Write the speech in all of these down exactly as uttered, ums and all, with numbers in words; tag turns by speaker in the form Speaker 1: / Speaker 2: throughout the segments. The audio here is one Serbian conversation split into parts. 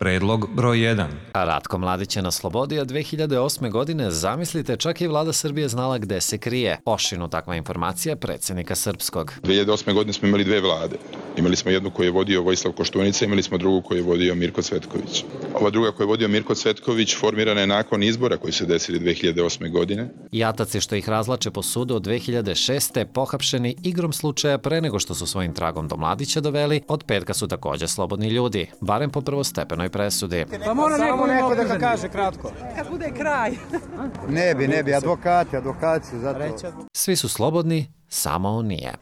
Speaker 1: Predlog broj jedan.
Speaker 2: Ratko Mladić je na slobodi, a dve hiljade osme. godine, zamislite, čak i vlada Srbije znala gde se krije. Ošinu takva informacija predsjednika srpskog.
Speaker 3: dve hiljade osme. godine smo imali dve vlade. Imali smo jednu koju je vodio Vojislav Koštunica, imali smo drugu koju je vodio Mirko Cvetković. Ova druga koju je vodio Mirko Cvetković formirana je nakon izbora koji se desili dve hiljade osme. godine.
Speaker 2: Jataci što ih razlače po sudu od dve hiljade šeste. pohapšeni igrom slučaja pre nego što su svojim tragom do Mladića doveli, od petka su također slobodni ljudi, barem po prvostepenoj presudi.
Speaker 4: Pa mora neko, neko da ga kaže kratko. Kad bude kraj.
Speaker 5: Ne bi, ne bi, advokati, advokati su zato.
Speaker 2: Svi su slobodni, samo on nije.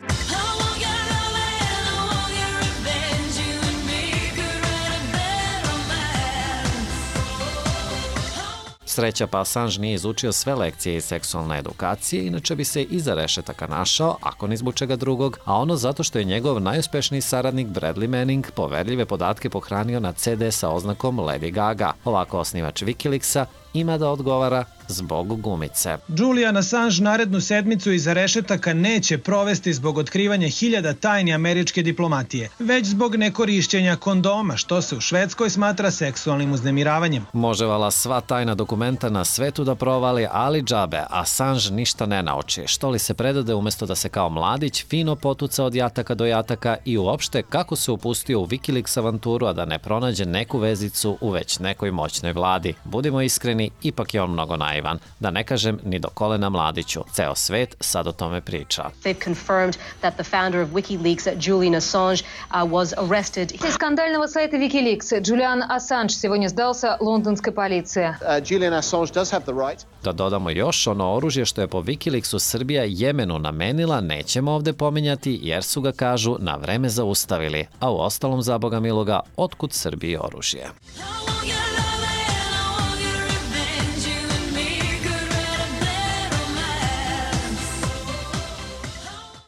Speaker 2: Sreća pa Assange nije izučio sve lekcije iz seksualne edukacije, inače bi se iza rešetaka našao, ako ni zbog čega drugog, a ono zato što je njegov najuspešniji saradnik Bradley Manning poverljive podatke pohranio na ce de sa oznakom Lady Gaga. Ovako osnivač Wikileaksa ima da odgovara zbog gumice.
Speaker 6: Julian Assange narednu sedmicu iza rešetaka neće provesti zbog otkrivanja hiljada tajni američke diplomatije, već zbog nekorišćenja kondoma, što se u Švedskoj smatra seksualnim uznemiravanjem.
Speaker 2: Može vala sva tajna dokumenta na svetu da provali, ali džabe, Assange ništa ne nauči. Što li se predade umjesto da se kao Mladić fino potuca od jataka do jataka i uopšte kako se upustio u Wikileaks avanturu, a da ne pronađe neku vezicu u već nekoj moćnoj vladi. Budimo iskreni, ipak je on mnogo naivan, da ne kažem ni do kolena Mladiću. Ceo svet sad o tome priča.
Speaker 7: They've confirmed that the founder of WikiLeaks, Julian Assange, uh, was arrested.
Speaker 8: Из скандального сайта WikiLeaks Julian Assange сегодня сдался лондонской полиции.
Speaker 9: Uh, Julian Assange does have the right.
Speaker 2: Da dodamo još, ono oružje što je po Wikileaksu Srbija Jemenu namenila nećemo ovde pominjati jer su ga, kažu, na vreme zaustavili, a u ostalom, za Boga miloga, otkud Srbiji oružje?